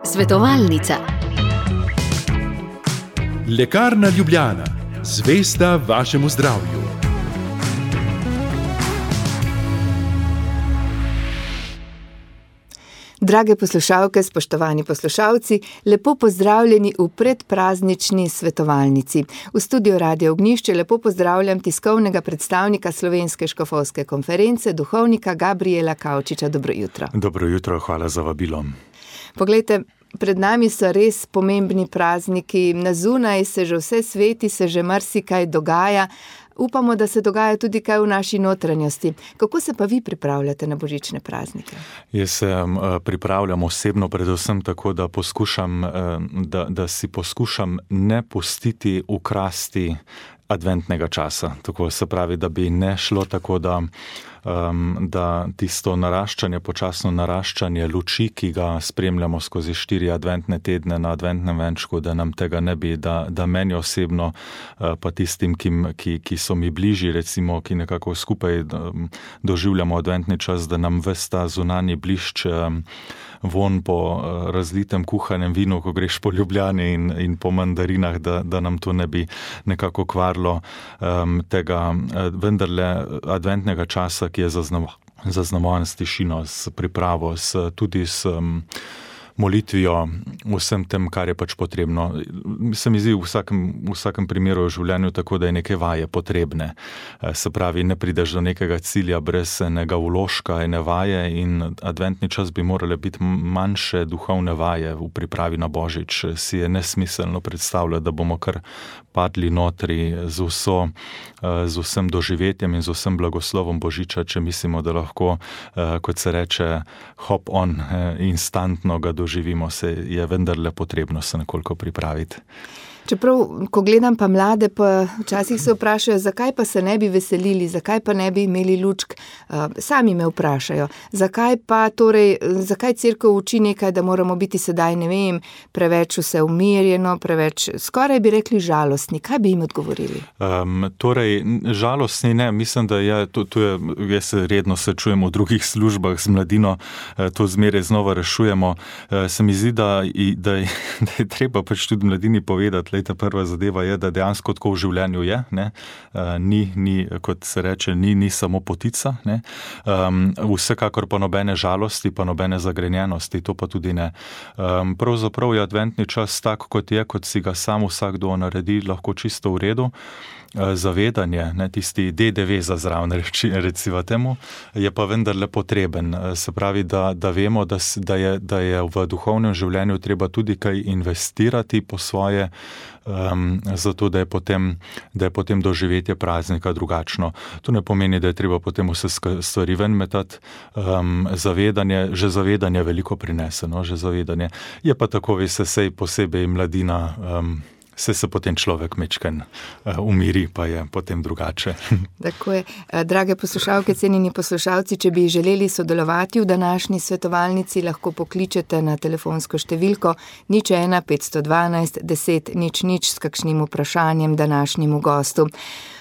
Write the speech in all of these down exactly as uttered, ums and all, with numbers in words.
Svetovalnica. Lekarna Ljubljana, zvesta vašemu zdravju. Drage poslušalke, spoštovani poslušalci, lepo pozdravljeni v predpraznični svetovalnici. V studiu Radio Ognjišče lepo pozdravljam tiskovnega predstavnika Slovenske škofovske konference, duhovnika Gabriela Kavčiča. Dobro jutro. Dobro jutro, hvala za vabilo. Poglejte, pred nami so res pomembni prazniki, na zunaj se že vse sveti, se že marsikaj dogaja. Upamo, da se dogaja tudi kaj v naši notranjosti. Kako se pa vi pripravljate na božične praznike? Jaz se pripravljam osebno predvsem tako, da poskušam, da, da si poskušam ne pustiti ukrasti adventnega časa. Tako se pravi, da bi ne šlo tako, da, um, da tisto naraščanje, počasno naraščanje luči, ki ga spremljamo skozi štiri adventne tedne na adventnem venčku, da nam tega ne bi, da, da meni osebno, uh, pa tistim, ki, ki, ki so mi bližji, recimo, ki nekako skupaj um, doživljamo adventni čas, da nam ves ta zunanji blišč, um, von po uh, razlitem kuhanem vinu, ko greš po Ljubljani in, in po mandarinah, da, da nam to ne bi nekako kvarilo um, tega uh, vendarle adventnega časa, ki je zaznamovan s tišino, s pripravo, s, tudi s um, molitvijo, vsem tem, kar je pač potrebno. Se mi zdi v vsakem, v vsakem primeru v življenju tako, da je neke vaje potrebne. Se pravi, ne prideš do nekega cilja brez enega vložka, ene vaje, in adventni čas bi morale biti manjše duhovne vaje v pripravi na Božič. Si je nesmiselno predstavljati, da bomo kar padli notri z vso, z vsem doživetjem in z vsem blagoslovom Božiča, če mislimo, da lahko, kot se reče, hop on, instantno ga doživimo, se je vendarle potrebno se nekoliko pripraviti. Čeprav, ko gledam pa mlade, pa včasih se vprašajo, zakaj pa se ne bi veselili, zakaj pa ne bi imeli lučk. Sami me vprašajo, zakaj pa torej, zakaj cerkev uči nekaj, da moramo biti sedaj, ne vem, preveč vse umirjeno, preveč, skoraj bi rekli žalostni. Kaj bi jim odgovorili? Um, torej, žalostni ne, mislim, da je, to, to je, jaz redno se čujem v drugih službah z mladino, to zmeraj znova rešujemo. Se mi zdi, da, da, je, da je treba pač tudi mladini povedati. Lejta, prva zadeva je, da dejansko tako v življenju je, ne? Uh, ni, ni, kot se reče, ni, ni samo potica, ne? Um, vsekakor pa nobene žalosti, pa nobene zagrenjenosti, to pa tudi ne. Um, pravzaprav je adventni čas tak, kot je, kot si ga sam vsakdo naredi, lahko čisto v redu. Zavedanje, ne, tisti D D V za zraven, recimo temu, je pa vendarle potreben. Se pravi, da, da vemo, da, da, je, da je v duhovnem življenju treba tudi kaj investirati po svoje, um, zato da je, potem, da je potem doživetje praznika drugačno. To ne pomeni, da je treba potem vse stvari ven metati. Um, zavedanje, že zavedanje veliko prinese, no, že zavedanje. Je pa tako, veste, sej posebej mladina, um, se se potem človek mečken uh, umiri, pa je potem drugače. Tako je. Drage poslušalke, cenjeni poslušalci, če bi želeli sodelovati v današnji svetovalnici, lahko pokličete na telefonsko številko nič ena petsto dvanajst deset nič nič s kakšnim vprašanjem današnjemu gostu.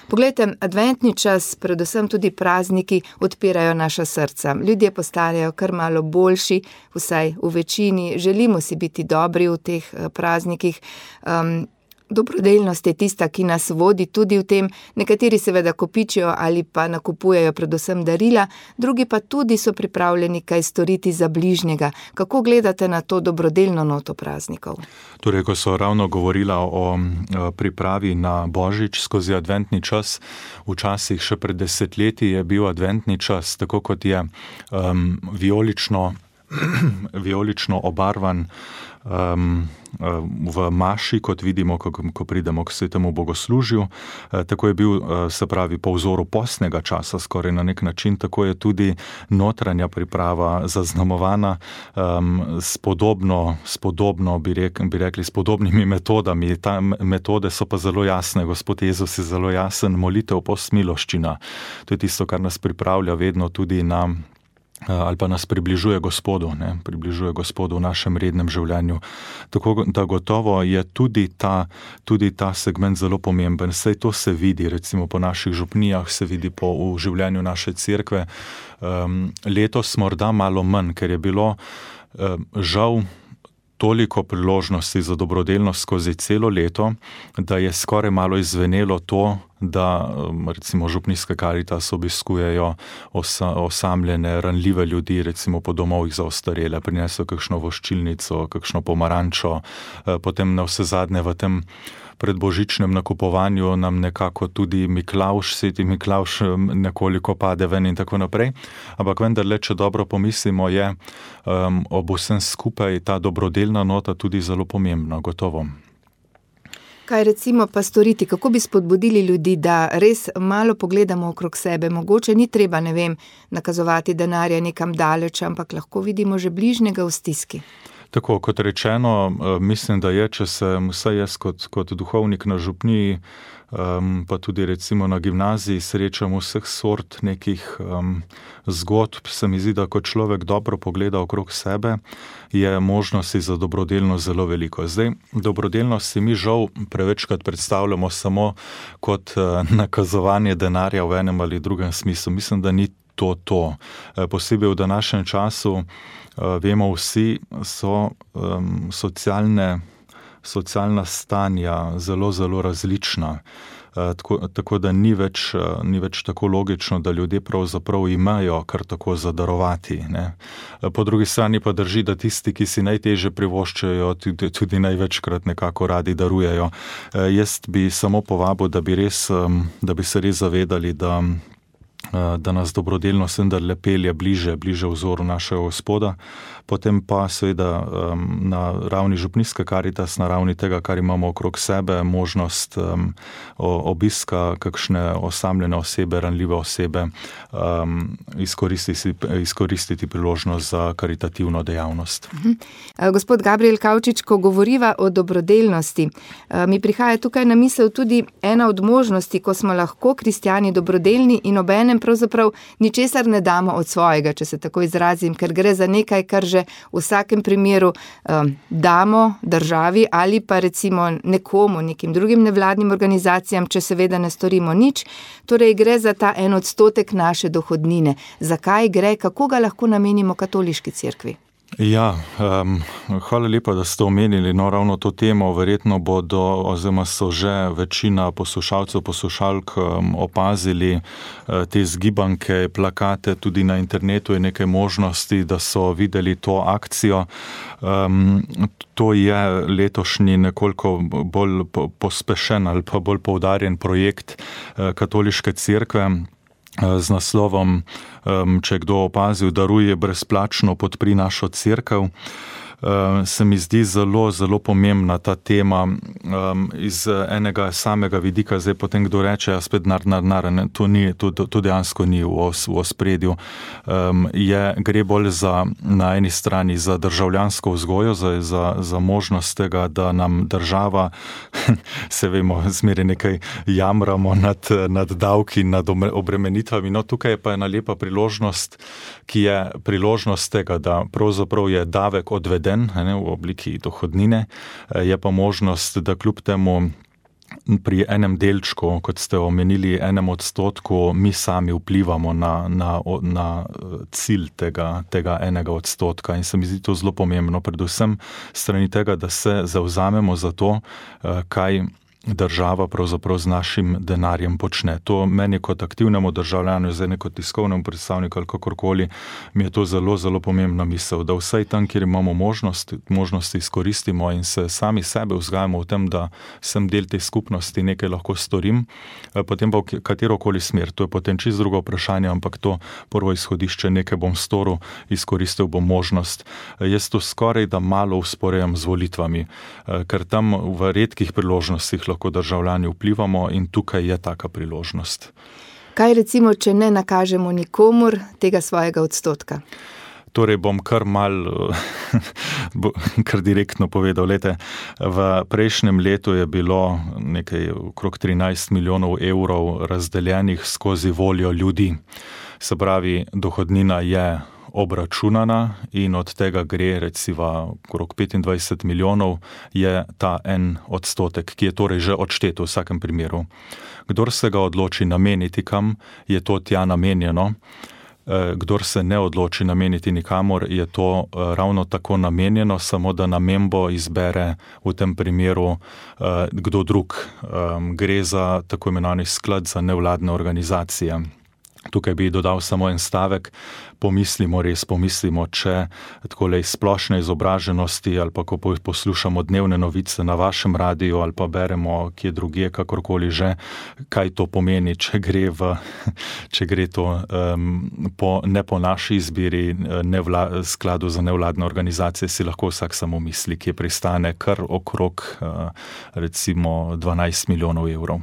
Poglejte, adventni čas, predvsem tudi prazniki, odpirajo naša srca. Ljudje postajajo kar malo boljši, vsaj v večini. Želimo si biti dobri v teh praznikih. Um, Dobrodelnost je tista, ki nas vodi tudi v tem. Nekateri seveda kopičijo ali pa nakupujejo predvsem darila, drugi pa tudi so pripravljeni kaj storiti za bližnjega. Kako gledate na to dobrodelno noto praznikov? Torej, ko so ravno govorila o pripravi na Božič skozi adventni čas, včasih še pred desetletji je bil adventni čas, tako kot je um, vijolično, vijolično obarvan, Um, v maši, kot vidimo, ko, ko pridemo k svetemu bogoslužju. Tako je bil, se pravi, po vzoru postnega časa skoraj na nek način, tako je tudi notranja priprava zaznamovana um, s podobno, s podobno bi, rek, bi rekli, s podobnimi metodami. Ta metode so pa zelo jasne. Gospod Jezus je zelo jasen, molitev, post, miloščina. To je tisto, kar nas pripravlja vedno tudi na ali pa nas približuje Gospodu, ne, približuje Gospodu v našem rednem življenju. Tako da gotovo je tudi ta, tudi ta segment zelo pomemben. Saj to se vidi, recimo po naših župnijah, se vidi po v življenju naše cerkve. Um, letos morda malo manj, ker je bilo um, žal toliko priložnosti za dobrodelnost skozi celo leto, da je skoraj malo izvenelo to, da recimo župnijske Karitas obiskujejo osa, osamljene, ranljive ljudi, recimo po domovih za ostarele, prinesejo kakšno voščilnico, kakšno pomarančo, potem na vse zadnje v tem predbožičnem nakupovanju nam nekako tudi Miklavž, sveti Miklavž nekoliko pade ven in tako naprej. Ampak vendarle, če dobro pomislimo, je um, ob vsem skupaj ta dobrodelna nota tudi zelo pomembna, gotovo. Kaj recimo pa storiti, kako bi spodbudili ljudi, da res malo pogledamo okrog sebe? Mogoče ni treba, ne vem, nakazovati denarja nekam daleč, ampak lahko vidimo že bližnjega v stiski. Tako, kot rečeno, mislim, da je, če se vsaj jaz kot, kot duhovnik na župniji, um, pa tudi recimo na gimnaziji srečam vseh sort nekih um, zgodb, se mi zdi, da kot človek dobro pogleda okrog sebe, je možnosti za dobrodelnost zelo veliko. Zdaj, dobrodelnost si mi žal prevečkrat predstavljamo samo kot uh, nakazovanje denarja v enem ali drugem smislu. Mislim, da ni to to. Posebej v današnjem času vemo vsi, so um, socialne, socialna stanja zelo, zelo različna. Tako, tako da ni več, ni več tako logično, da ljudje pravzaprav imajo kar tako zadarovati. Ne. Po drugi strani pa drži, da tisti, ki si najtežje privoščajo, tudi, tudi največkrat nekako radi darujejo. Jaz bi samo povabil, da bi, res, da bi se res zavedali, da da nas dobrodelnost vendarle pelje bliže, bliže vzoru našega Gospoda, potem pa seveda um, na ravni župnijske Karitas, na ravni tega, kar imamo okrog sebe, možnost um, obiska kakšne osamljene osebe, ranljive osebe, um, izkoristiti, izkoristiti priložnost za karitativno dejavnost. Uh-huh. Gospod Gabriel Kavčič, ko govoriva o dobrodelnosti, uh, mi prihaja tukaj na misel tudi ena od možnosti, ko smo lahko kristjani dobrodelni in obenem pravzaprav ničesar ne damo od svojega, če se tako izrazim, ker gre za nekaj, kar že v vsakem primeru um, damo državi ali pa recimo nekomu, nekim drugim nevladnim organizacijam, če seveda ne storimo nič. Torej gre za ta en odstotek naše dohodnine. Zakaj gre, kako ga lahko namenimo katoliški cerkvi? Ja, um, hvala lepa, da ste omenili no, ravno to temo. Verjetno bodo, oziroma so že večina poslušalcev, poslušalk um, opazili uh, te zgibanke, plakate, tudi na internetu je nekaj možnosti, da so videli to akcijo. Um, to je letošnji nekoliko bolj pospešen ali pa bolj poudarjen projekt uh, katoliške cerkve, z naslovom, če je kdo opazil, daruje brezplačno, podpri našo cerkev. Se mi zdi zelo, zelo pomembna ta tema um, iz enega samega vidika. Zdaj potem kdo reče, ja, spet nar, nar, nar, ne, to, ni, to, to dejansko ni v, os, v ospredju. Um, je, gre bolj za, na eni strani za državljansko vzgojo, za, za, za možnost tega, da nam država, se vemo, zmeraj nekaj jamramo nad, nad davki, nad obremenitvami. No, tukaj je pa ena lepa priložnost, ki je priložnost tega, da pravzaprav je davek odveden ne, v obliki dohodnine, je pa možnost, da kljub temu pri enem delčku, kot ste omenili, enem odstotku, mi sami vplivamo na, na, na cilj tega, tega enega odstotka. In se mi zdi to zelo pomembno, predvsem strani tega, da se zavzamemo za to, kaj država pravzaprav z našim denarjem počne. To meni kot aktivnemu državljanu, zdaj ne kot tiskovnemu predstavniku ali kakorkoli, mi je to zelo, zelo pomembna misel, da vsaj tam, kjer imamo možnost, možnosti izkoristimo in se sami sebe vzgajamo v tem, da sem del te skupnosti, nekaj lahko storim, potem pa v katerokoli smer. To je potem čisto drugo vprašanje, ampak to prvo izhodišče, nekaj bom storil, izkoristil bom možnost. Jaz to skoraj da malo usporejam z volitvami, ker tam v redkih priložnostih lahko državljani vplivamo in tukaj je taka priložnost. Kaj recimo, če ne nakažemo nikomur tega svojega odstotka? Torej bom kar mal, kar direktno povedal. Lete, v prejšnjem letu je bilo nekaj okrog trinajst milijonov evrov razdeljenih skozi voljo ljudi. Se pravi, dohodnina je obračunana in od tega gre recimo okrog petindvajset milijonov je ta en odstotek, ki je torej že odštet v vsakem primeru. Kdor se ga odloči nameniti kam, je to tja namenjeno. Kdor se ne odloči nameniti nikamor, je to ravno tako namenjeno, samo da namembo izbere v tem primeru kdo drug. Gre za tako imenovani sklad za nevladne organizacije. Tukaj bi dodal samo en stavek, pomislimo, res pomislimo, če takole iz splošne izobraženosti ali pa ko poslušamo dnevne novice na vašem radiju ali pa beremo kje drugje, kakorkoli že, kaj to pomeni, če gre, v, če gre to um, po, ne po naši izbiri nevla, skladu za nevladne organizacije, si lahko vsak samo misli, kje pristane kar okrog uh, recimo dvanajst milijonov evrov.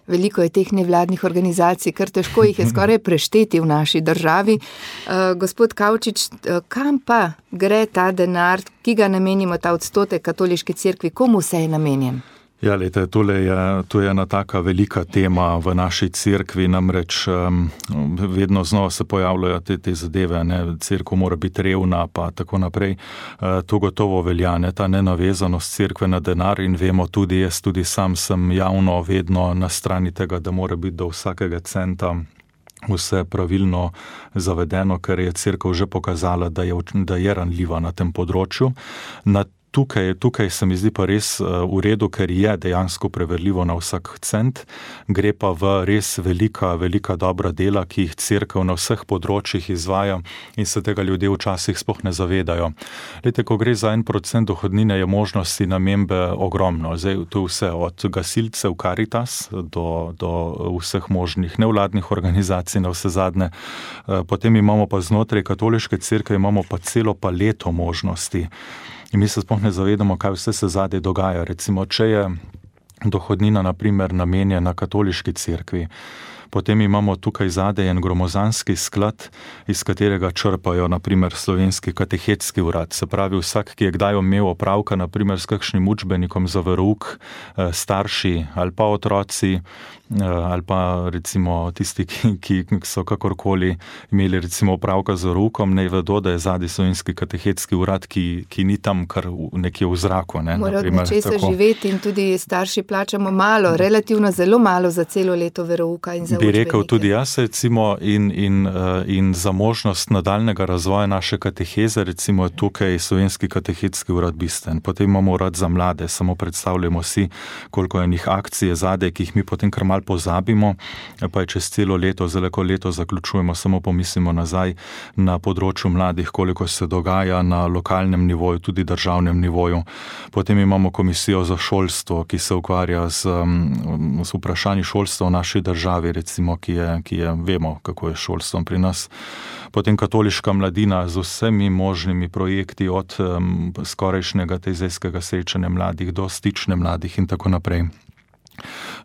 Veliko je teh nevladnih organizacij, kar težko jih je skoraj prešteti v naši državi. Uh, gospod Kavčič, kam pa gre ta denar, ki ga namenimo, ta odstotek katoliški cerkvi, komu se je namenjen? Ja, lejte, tole je, to je ena taka velika tema v naši cerkvi, namreč um, vedno znova se pojavljajo te, te zadeve, ne, cerkev mora biti revna, pa tako naprej. Uh, to gotovo velja, ne, ta nenavezanost cerkve na denar in vemo tudi, jaz tudi sam sem javno vedno na strani tega, da mora biti do vsakega centa vse pravilno zavedeno, ker je cerkev že pokazala, da je, da je ranljiva na tem področju. Na Tukaj, tukaj se mi zdi pa res v redu, ker je dejansko preverljivo na vsak cent, gre pa v res velika, velika dobra dela, ki jih cerkev na vseh področjih izvaja in se tega ljudje včasih sploh ne zavedajo. Lejte, ko gre za en procent dohodnine, je možnosti namembe ogromno. Zdaj, to je vse od gasilcev Caritas do, do vseh možnih nevladnih organizacij na vse zadnje. Potem imamo pa znotraj katoliške cerkve, imamo pa celo paleto možnosti. In mi se sploh ne zavedamo, kaj vse se zadaj dogaja. Recimo, če je dohodnina, na primer, namenjena katoliški cerkvi, potem imamo tukaj zadaj en gromozanski sklad, iz katerega črpajo, na primer, slovenski katehetski urad. Se pravi, vsak, ki je kdaj imel opravka, na primer, s kakšnim učbenikom za verouk, starši ali pa otroci, ali pa recimo tisti, ki, ki so kakorkoli imeli recimo opravka z veroukom, ne vedo, da je zadaj slovenski katehetski urad, ki, ki ni tam kar nekje v zraku. Ne, mora od nečesa živeti in tudi starši plačamo malo, relativno zelo malo za celo leto verouka in za bi rekel tudi jaz, recimo, in, in, in za možnost nadaljnega razvoja naše kateheze, recimo tukaj slovenski katehetski urad bistven. Potem imamo urad za mlade, samo predstavljamo si, koliko je njih akcije zadaj, ki jih mi potem kar malo pozabimo, pa je čez celo leto, zelo leto zaključujemo, samo pomislimo nazaj na področju mladih, koliko se dogaja na lokalnem nivoju, tudi državnem nivoju. Potem imamo komisijo za šolstvo, ki se ukvarja z, z vprašanji šolstva v naši državi, recimo, ki je, ki je, vemo, kako je šolstvom pri nas. Potem katoliška mladina z vsemi možnimi projekti, od um, skorajšnjega tezejskega srečanja mladih do stične mladih in tako naprej.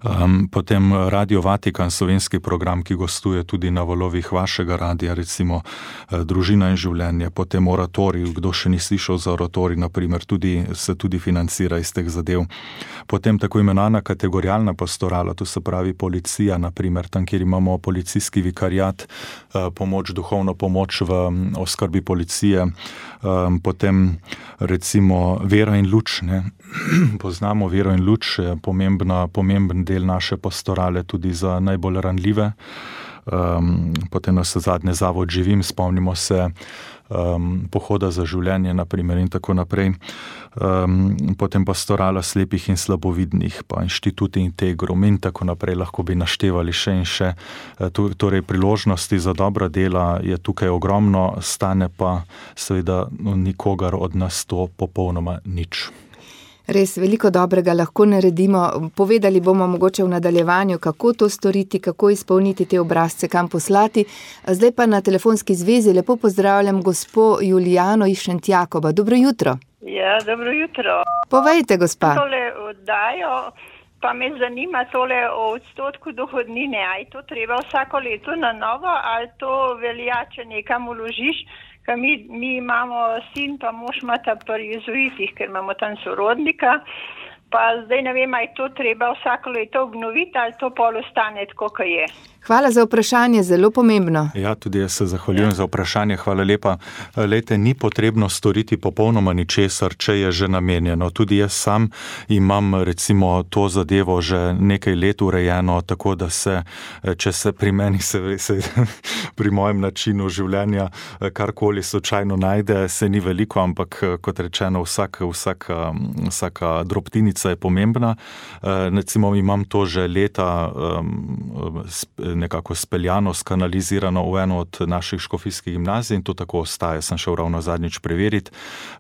Um, potem Radio Vatikan, slovenski program, ki gostuje tudi na valovih vašega radija, recimo eh, Družina in življenje, potem oratorij, kdo še ni slišal za oratorij, naprimer, tudi, se tudi financira iz teh zadev. Potem tako imenovana kategorijalna pastorala, to se pravi policija, naprimer, tam, kjer imamo policijski vikariat, eh, pomoč, duhovno pomoč v oskrbi policije, eh, potem recimo Vera in luč, ne? Poznamo Vero in luč, pomembna, pomemben del naše pastorale tudi za najbolj ranljive. Um, potem nas zadnje zavod Živim, spomnimo se um, pohoda za življenje, naprimer, in tako naprej. Um, potem pastorala slepih in slabovidnih, pa inštitut Integrum in tako naprej, lahko bi naštevali še in še. Torej, priložnosti za dobra dela je tukaj ogromno, stane pa seveda nikogar od nas to popolnoma nič. Res veliko dobrega lahko naredimo. Povedali bomo mogoče v nadaljevanju, kako to storiti, kako izpolniti te obrazce, kam poslati. Zdaj pa na telefonski zvezi lepo pozdravljam gospo Julijano iz Šentjakoba. Dobro jutro. Ja, dobro jutro. Povejte, gospa. Tole oddajo, pa me zanima tole o odstotku dohodnine. A je to treba vsako leto na novo, ali to velja, če nekam vložiš? Mi, mi imamo sin, pa mož imata pri jezuitih, ker imamo tam sorodnika, pa zdaj ne vem, ali je to treba vsako leto obnoviti, ali to pol ostane tako, kot je. Hvala za vprašanje, zelo pomembno. Ja, tudi jaz se zahvaljujem za vprašanje, hvala lepa. Lejte, ni potrebno storiti popolnoma ničesar, če je že namenjeno. Tudi jaz sam imam recimo to zadevo že nekaj let urejeno, tako da se, če se pri meni, se, se pri mojem načinu življenja karkoli slučajno najde, se ni veliko, ampak kot rečeno, vsak, vsaka, vsaka drobtinica je pomembna. Recimo imam to že leta nekako speljano, skanalizirano v eno od naših škofijskih gimnazij in to tako ostaje, sem šel ravno zadnjič preveriti.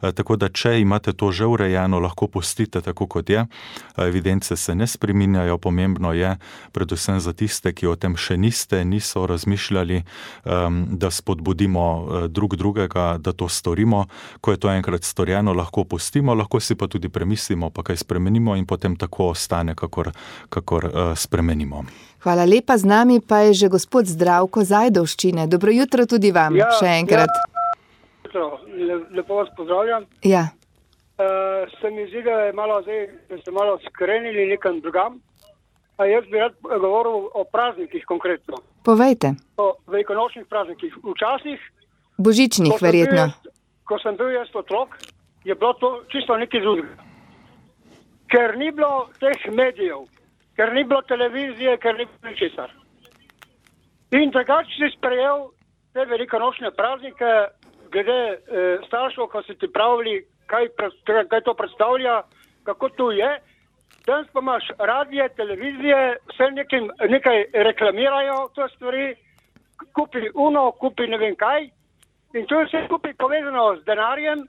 Tako da, če imate to že urejeno, lahko pustite tako, kot je. Evidence se ne spreminjajo, pomembno je, predvsem za tiste, ki o tem še niste, niso razmišljali, da spodbudimo drug drugega, da to storimo. Ko je to enkrat storjeno, lahko pustimo, lahko si pa tudi premislimo, pa kaj spremenimo in potem tako ostane, kakor, kakor spremenimo. Hvala lepa, z nami pa je že gospod Zdravko z Ajdovščine. Dobro jutro tudi vam, ja, še enkrat. Ja, lepo vas pozdravljam. Ja. Uh, se mi zdi, da je malo zdaj, da ste malo skrenili nekam drugam. A jaz bi rad govoril o praznikih konkretno. Povejte. O velikonočnih praznikih. Včasih, božičnih ko verjetno. Jaz, ko sem bil jaz otrok, je bilo to čisto nekaj drugega. Ker ni bilo teh medijev, ker ni bilo televizije, ker ni bilo ničesar. In takrat si sprejel te velikonočne praznike, glede eh, staršev, ko si ti pravili, kaj, kaj to predstavlja, kako to je. Danes pa imaš radije, televizije, vse nekaj, nekaj reklamirajo to stvari, kupi uno, kupi ne vem kaj. In to je vse skupaj povezano z denarjem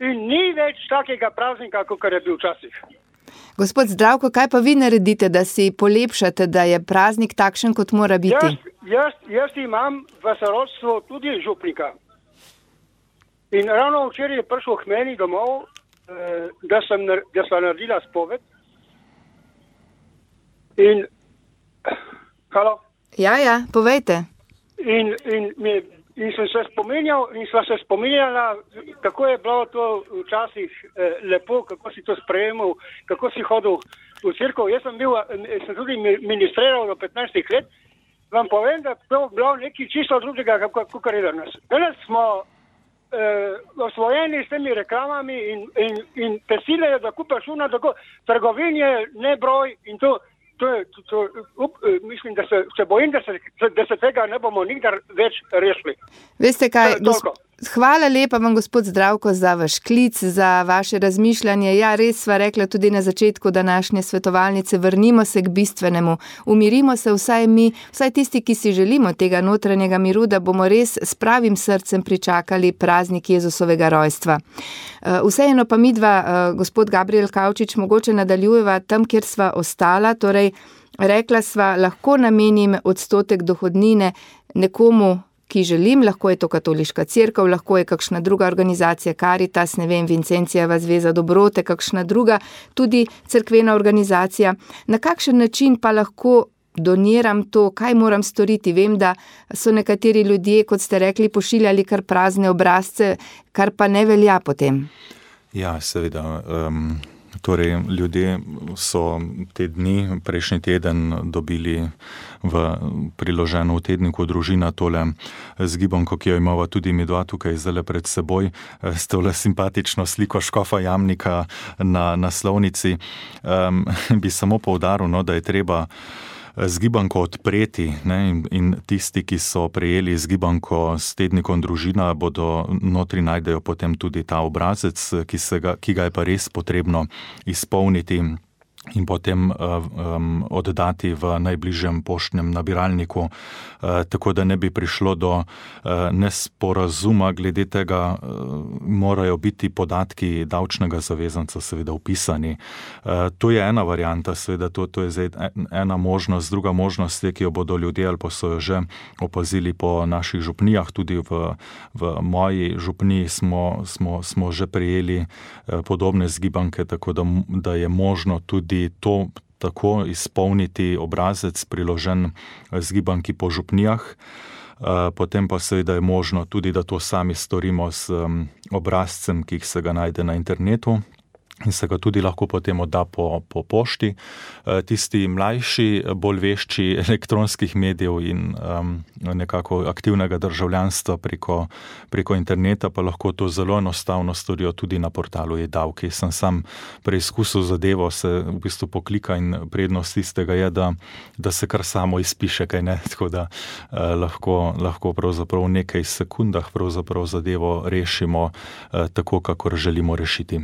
in ni več takega praznika, kot je bil včasih. Gospod Zdravko, kaj pa vi naredite, da si polepšate, da je praznik takšen, kot mora biti? Jaz, jaz, jaz imam v sorodstvu tudi župnika. In ravno včeraj je prišel k meni domov, eh, da sem, da sem naredila spoved. In, halo? Ja, ja, povejte. In, in, mi, in sem se spominjal, in sva se spominjala, kako je bilo to včasih eh, lepo, kako si to sprejemal, kako si hodil v cerkev. Jaz sem bil, sem tudi ministriral do petnajstih let. Vam povem, da je to bilo nekaj čisto drugega, kako kar je danes. Danes smo eh, osvojeni s temi reklamami in, in, in pesile, da kupaš una, tako trgovin je nebroj in to. To je, to, to, up, mislim, da se, se bojim, da se, da se tega ne bomo nikdar več rešili. Veste kaj, gosp... hvala lepa vam, gospod Zdravko, za vaš klic, za vaše razmišljanje. Ja, res sva rekla tudi na začetku današnje svetovalnice, vrnimo se k bistvenemu, umirimo se vsaj mi, vsaj tisti, ki si želimo tega notranjega miru, da bomo res s pravim srcem pričakali praznik Jezusovega rojstva. Vseeno pa midva, gospod Gabriel Kavčič, mogoče nadaljujeva tam, kjer sva ostala, torej rekla sva, lahko namenim odstotek dohodnine nekomu, ki želim, lahko je to katoliška cerkev, lahko je kakšna druga organizacija, Caritas, ne vem, Vincencijeva zveza dobrote, kakšna druga, tudi cerkvena organizacija. Na kakšen način pa lahko doniram to, kaj moram storiti? Vem, da so nekateri ljudje, kot ste rekli, pošiljali kar prazne obrazce, kar pa ne velja potem. Ja, seveda. Um... Torej, ljudje so te dni, prejšnji teden dobili v priloženo v tedniku Družina tole zgibanko, ki jo imava tudi mi dva tukaj zdaj pred seboj, s tole simpatično sliko škofa Jamnika na naslovnici. Um, bi samo poudaril, no, da je treba zgibanko odpreti, ne, in, in tisti, ki so prejeli zgibanko s tednikom Družina, bodo notri najdejo potem tudi ta obrazec, ki, se ga, ki ga je pa res potrebno izpolniti in potem um, oddati v najbližjem poštnem nabiralniku, uh, tako da ne bi prišlo do uh, nesporazuma glede tega, uh, morajo biti podatki davčnega zavezanca seveda upisani. Uh, to je ena varianta, seveda to, to je zdaj ena možnost, druga možnost je, ki jo bodo ljudje ali pa so jo že opazili po naših župnijah, tudi v, v moji župniji smo, smo, smo že prejeli uh, podobne zgibanke, tako da, da je možno tudi to tako izpolniti obrazec priložen zgibanki po župnijah. Potem pa seveda je možno tudi, da to sami storimo s obrazcem, ki se ga najde na internetu. in se ga tudi lahko potem odda po, po pošti. Tisti mlajši, bolj vešči elektronskih medijev in um, nekako aktivnega državljanstva preko, preko interneta pa lahko to zelo enostavno storijo tudi na portalu e-davki. Sem sam preizkusil zadevo, se v bistvu poklika in prednost tistega je, da, da se kar samo izpiše, kaj ne, tako da eh, lahko, lahko pravzaprav v nekaj sekundah pravzaprav zadevo rešimo eh, tako, kakor želimo rešiti.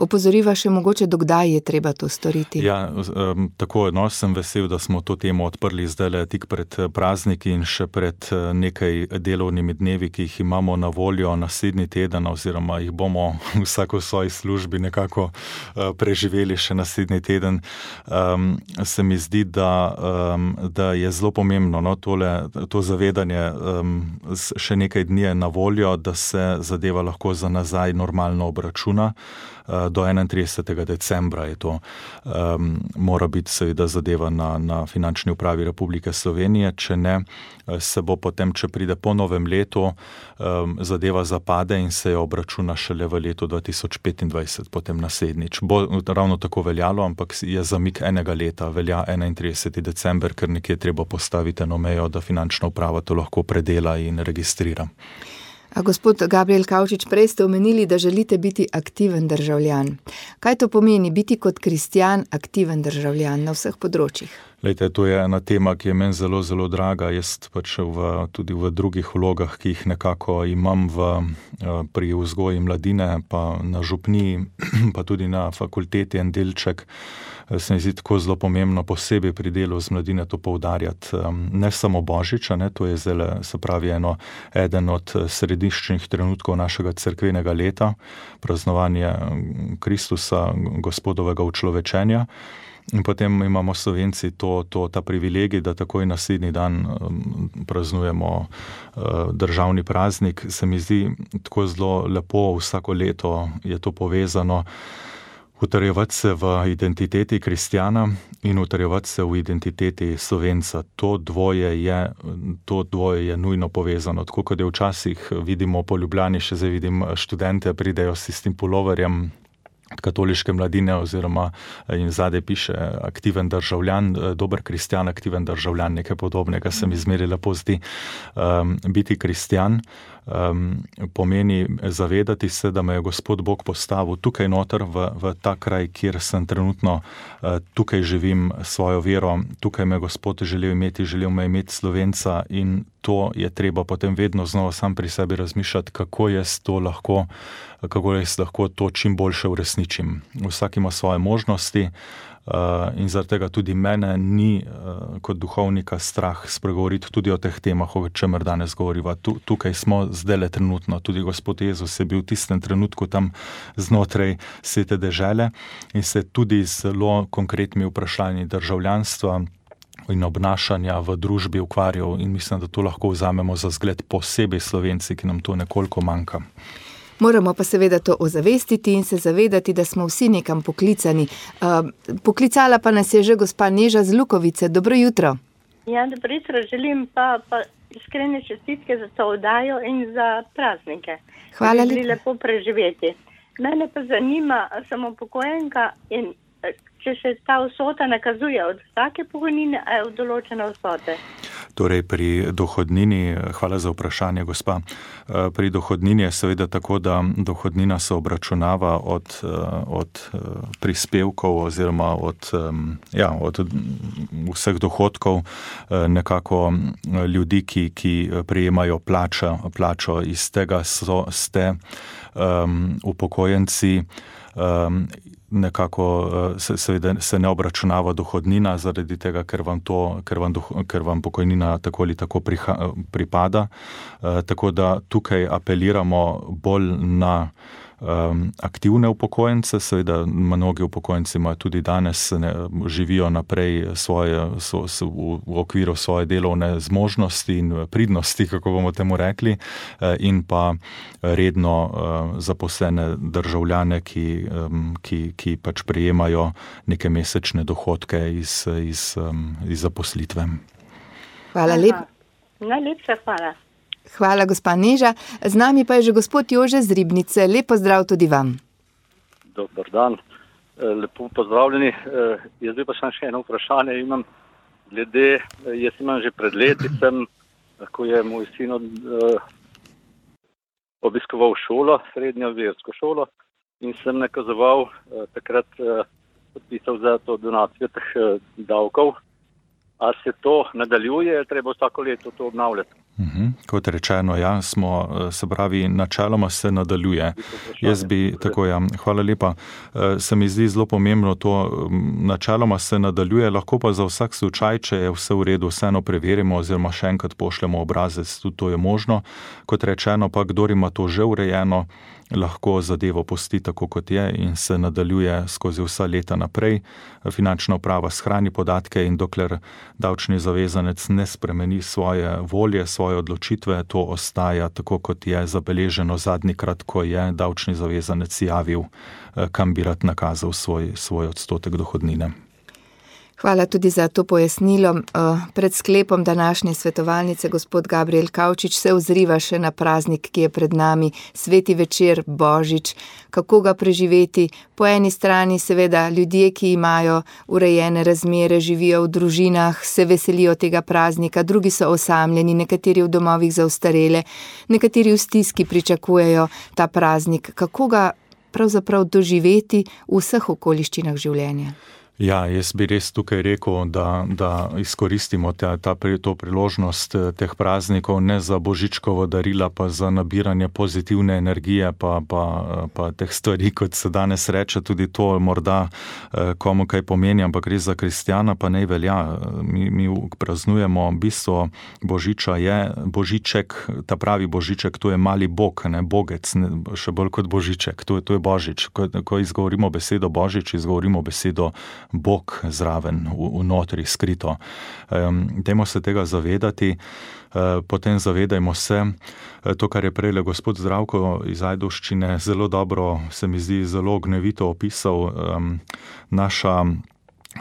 Opozoriva še mogoče, dokdaj je treba to storiti? Ja, um, tako, no, sem vesel, da smo to temo odprli zdaj tik pred prazniki in še pred nekaj delovnimi dnevi, ki jih imamo na voljo naslednji teden, oziroma jih bomo vsako v svoji službi nekako uh, preživeli še naslednji teden. Um, se mi zdi, da, um, da je zelo pomembno, no, tole, to zavedanje um, še nekaj dni je na voljo, da se zadeva lahko za nazaj normalno obračuna. Do enaintridesetega decembra je to, um, mora biti seveda zadeva na, na Finančni upravi Republike Slovenije, če ne, se bo potem, če pride po novem letu, um, zadeva zapade in se jo obračuna šele v letu dva tisoč petindvajset, potem naslednjič. Bo ravno tako veljalo, ampak je zamik enega leta, velja enaintrideseti december, ker nekje treba postaviti eno mejo, da Finančna uprava to lahko predela in registrira. A gospod Gabriel Kavčič, prej ste omenili, da želite biti aktiven državljan. Kaj to pomeni biti kot kristjan aktiven državljan na vseh področjih? Lejte, to je ena tema, ki je meni zelo, zelo draga. Jaz pač v, tudi v drugih vlogah, ki jih nekako imam v, pri vzgoji mladine, pa na župniji, pa tudi na fakulteti en delček, se mi zdi tako zelo pomembno posebej pri delu z mladine to poudarjati. Ne samo Božiča, ne, to je zdaj, se pravi, eno, eden od središčnih trenutkov našega cerkvenega leta, praznovanje Kristusa, Gospodovega učlovečenja. In potem imamo Slovenci to, to, ta privilegij, da takoj naslednji dan um, praznujemo uh, državni praznik. Se mi zdi tako zelo lepo, vsako leto je to povezano, utrjevati se v identiteti kristjana in utrjevati se v identiteti Slovenca. To dvoje je, to dvoje je nujno povezano. Tako kot je včasih vidimo po Ljubljani, še zdaj vidim študente, pridejo s tistim puloverjem katoliške mladine oziroma in zadaj piše aktiven državljan, dober kristjan, aktiven državljan, nekaj podobnega se mi zmeri lepo zdi. Um, biti kristjan um, pomeni zavedati se, da me je Gospod Bog postavil tukaj noter v, v ta kraj, kjer sem trenutno, uh, tukaj živim svojo vero, tukaj me Gospod želel imeti, želel me imeti Slovenca in to je treba potem vedno znova sam pri sebi razmišljati, kako jaz to lahko, kako jaz lahko to čim boljše uresničim. Vsak ima svoje možnosti uh, in zaradi tega tudi mene ni uh, kot duhovnika strah spregovoriti tudi o teh temah, o čemer danes govoriva. Tu, tukaj smo zdajle trenutno, tudi Gospod Jezus je bil v tistem trenutku tam znotraj svete dežele in se tudi zelo konkretnimi vprašanji državljanstva in obnašanja v družbi ukvarjal in mislim, da to lahko vzamemo za zgled posebej Slovenci, ki nam to nekoliko manjka. Moramo pa seveda to ozavestiti in se zavedati, da smo vsi nekam poklicani. Uh, poklicala pa nas je že gospa Neža z Lukovice. Dobro jutro. Ja, dobro jutro. Želim pa, pa iskrene čestitke za to oddajo in za praznike. Hvala lepa. Lepo preživeti. Mene pa zanima, sem upokojenka in če se ta vsota nakazuje od vsake pokojnine, a je od določene vsote? Torej pri dohodnini, hvala za vprašanje, gospa, pri dohodnini je seveda tako, da dohodnina se obračunava od, od prispevkov oziroma od, ja, od vseh dohodkov nekako ljudi, ki, ki prejemajo plačo, plačo. Iz tega so, ste um, upokojenci um, nekako se, seveda se ne obračunava dohodnina zaradi tega, ker vam, to, ker vam, ker vam pokojnina tako ali tako priha, pripada. E, tako da tukaj apeliramo bolj na um, aktivne upokojence, seveda mnogi upokojenci imajo tudi danes, ne, živijo naprej svoje, so, so, v, v okviru svoje delovne zmožnosti in pridnosti, kako bomo temu rekli, in pa redno uh, zaposlene državljane, ki, um, ki, ki pač prejemajo neke mesečne dohodke iz, iz, um, iz zaposlitve. Hvala lepa. Najlepša hvala. Hvala, gospa Neža. Z nami pa je že gospod Jože z Ribnice. Lep pozdrav tudi vam. Dobar dan, lepo pozdravljeni. Jaz bi pa še eno vprašanje imam glede, jaz imam že pred leti, sem, ko je moj sin obiskoval šolo, srednjo versko šolo in sem nakazoval takrat podpisal za to donacijo teh davkov. A se to nadaljuje, treba vsako leto to obnavljati? Uhum. Kot rečeno, ja, smo, se pravi, načeloma se nadaljuje. Jaz bi, tako ja, hvala lepa. Se mi zdi zelo pomembno to, načeloma se nadaljuje, lahko pa za vsak slučaj, če je vse v redu, vseeno preverimo oziroma še enkrat pošljemo obrazec, tudi to je možno. Kot rečeno pa, kdor ima to že urejeno, lahko zadevo pusti tako, kot je in se nadaljuje skozi vsa leta naprej. Finančna uprava shrani podatke in dokler davčni zavezanec ne spremeni svoje volje, svoje odločitve, to ostaja tako, kot je zabeleženo zadnjikrat, ko je davčni zavezanec javil, kam bi rad nakazal svoj, svoj odstotek dohodnine. Hvala tudi za to pojasnilo. Pred sklepom današnje svetovalnice gospod Gabriel Kavčič se ozriva še na praznik, ki je pred nami, sveti večer, Božič. Kako ga preživeti? Po eni strani seveda ljudje, ki imajo urejene razmere, živijo v družinah, se veselijo tega praznika, drugi so osamljeni, nekateri v domovih za ostarele, nekateri v stiski pričakujejo ta praznik. Kako ga pravzaprav doživeti v vseh okoliščinah življenja? Ja, jaz bi res tukaj rekel, da, da izkoristimo ta, ta, to priložnost teh praznikov ne za božičkovo darila, pa za nabiranje pozitivne energije, pa, pa, pa teh stvari, kot se danes reče, tudi to morda komu kaj pomeni, ampak res za kristjana pa ne velja. Mi, mi praznujemo, bistvo božiča je božiček, ta pravi božiček, to je mali bog, ne bogec, ne, še bolj kot božiček, to, to je božič. Ko, ko izgovorimo besedo božič, izgovorimo besedo Bog zraven, vnotri, skrito. Um, dajmo se tega zavedati, uh, potem zavedajmo se, uh, to, kar je prejle gospod Zdravko iz Ajdovščine, zelo dobro, se mi zdi, zelo ognjevito opisal, um, naša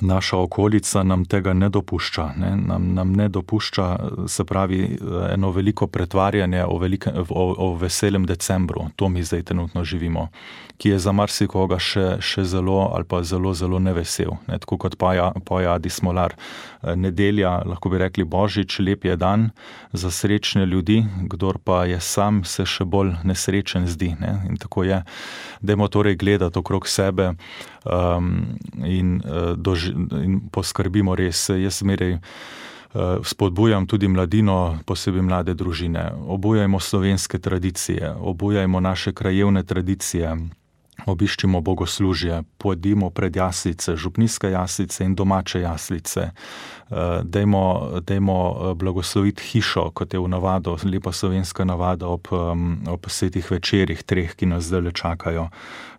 Naša okolica nam tega ne dopušča, ne? Nam, nam ne dopušča, se pravi, eno veliko pretvarjanje o, velike, o, o veselem decembru, to mi zdaj trenutno živimo, ki je za marsikoga še, še zelo ali pa zelo, zelo nevesel, ne? Tako kot poje Adi Smolar. Nedelja, lahko bi rekli Božič, lep je dan za srečne ljudi, kdor pa je sam, se še bolj nesrečen zdi, ne? In tako je. Dajmo torej gledati okrog sebe um, in, uh, doži, in poskrbimo res. Jaz zmeraj uh, spodbujam tudi mladino, posebej mlade družine. Obujajmo slovenske tradicije, obujajmo naše krajevne tradicije, obiščimo bogoslužje, pojdimo pred jaslice, župnijske jaslice in domače jaslice. Dajmo, dajmo blagosloviti hišo, kot je v navado, lepa slovenska navada ob, ob svetih večerih, treh, ki nas zdaj čakajo.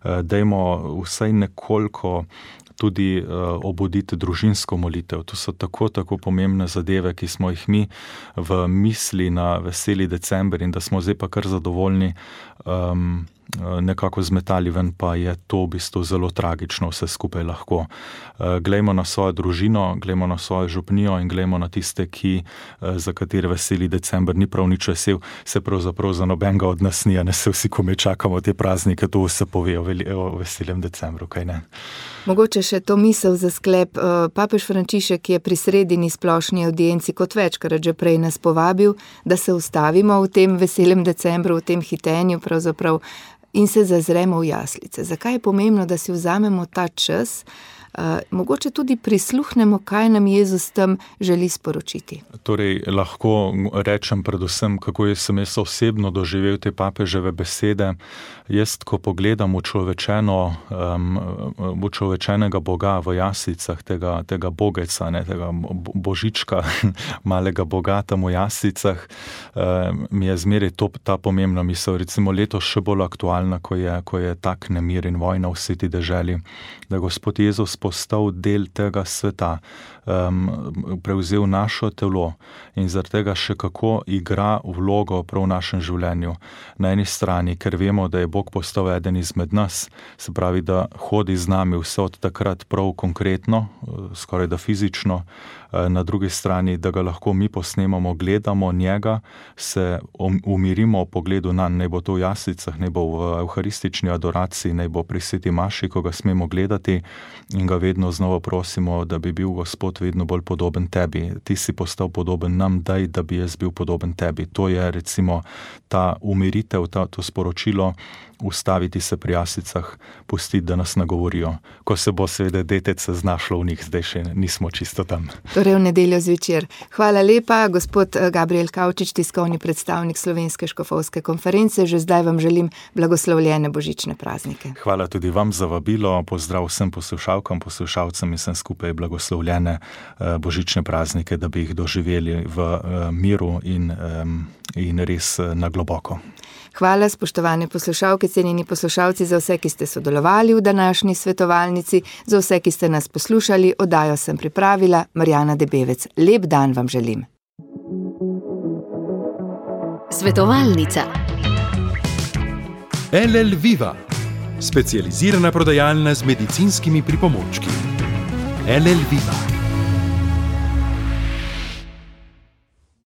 Dajmo vsaj nekoliko tudi uh, obuditi družinsko molitev. To so tako, tako pomembne zadeve, ki smo jih mi v misli na veseli december in da smo zdaj pa kar zadovoljni um, nekako zmetali ven, pa je to v bistvu zelo tragično vse skupaj lahko. Uh, glejmo na svojo družino, glejmo na svojo župnijo in glejmo na tiste, ki, uh, za katere veseli december ni prav nič vesel, se pravzaprav za nobenega od nas ni, a ne se vsi komaj čakamo te praznike, to vse pove o, veli, o veselem decembru, kaj ne? Mogoče še to misel za sklep. Papež Frančišek je pri sredini splošni audienci kot večkrat že prej nas povabil, da se ustavimo v tem veselem decembru, v tem hitenju pravzaprav in se zazremo v jaslice. Zakaj je pomembno, da si vzamemo ta čas, uh, mogoče tudi prisluhnemo, kaj nam Jezus tam želi sporočiti? Torej, lahko rečem predvsem, kako sem jaz osebno doživel te papeževe besede. Jaz, ko pogledam učlovečeno, um, učlovečenega Boga v jaslicah, tega, tega bogeca, ne, tega božička, malega Boga tam v jaslicah, um, mi je zmeraj to, ta pomembna misel. Recimo letos še bolj aktualna, ko je, ko je tak nemir in vojna v sveti deželi, da Gospod Jezus postal del tega sveta, um, prevzel našo telo in zaradi tega še kako igra vlogo prav v našem življenju. Na eni strani, ker vemo, da je Bog postal eden izmed nas, se pravi, da hodi z nami vse od takrat prav konkretno, skoraj da fizično, na drugi strani, da ga lahko mi posnemamo, gledamo njega, se umirimo v pogledu nanj, naj bo to v jaslicah, naj bo v evharistični adoraciji, naj bo pri sveti maši, ko ga smemo gledati in ga vedno znova prosimo, da bi bil Gospod vedno bolj podoben tebi. Ti si postal podoben nam, daj, da bi jaz bil podoben tebi. To je recimo ta umiritev, ta, to sporočilo, ustaviti se pri jaslicah, pustiti, da nas nagovorijo. Ko se bo seveda detec znašlo v njih, zdaj še nismo čisto tam. Torej v nedeljo zvečer. Hvala lepa, gospod Gabriel Kavčič, tiskovni predstavnik Slovenske škofovske konference. Že zdaj vam želim blagoslovljene božične praznike. Hvala tudi vam za vabilo. Pozdrav vsem poslušalkam, poslušalcem in vsem skupaj blagoslovljene božične praznike, da bi jih doživeli v miru in, in res na globoko. Hvala, spoštovane poslušalke, cenjeni poslušalci, za vse, ki ste sodelovali v današnji svetovalnici, za vse, ki ste nas poslušali. Oddajo sem pripravila Marjana Debevec. Lep dan vam želim. Svetovalnica. L L Viva, specializirana prodajalna z medicinskimi pripomočki. L L Viva.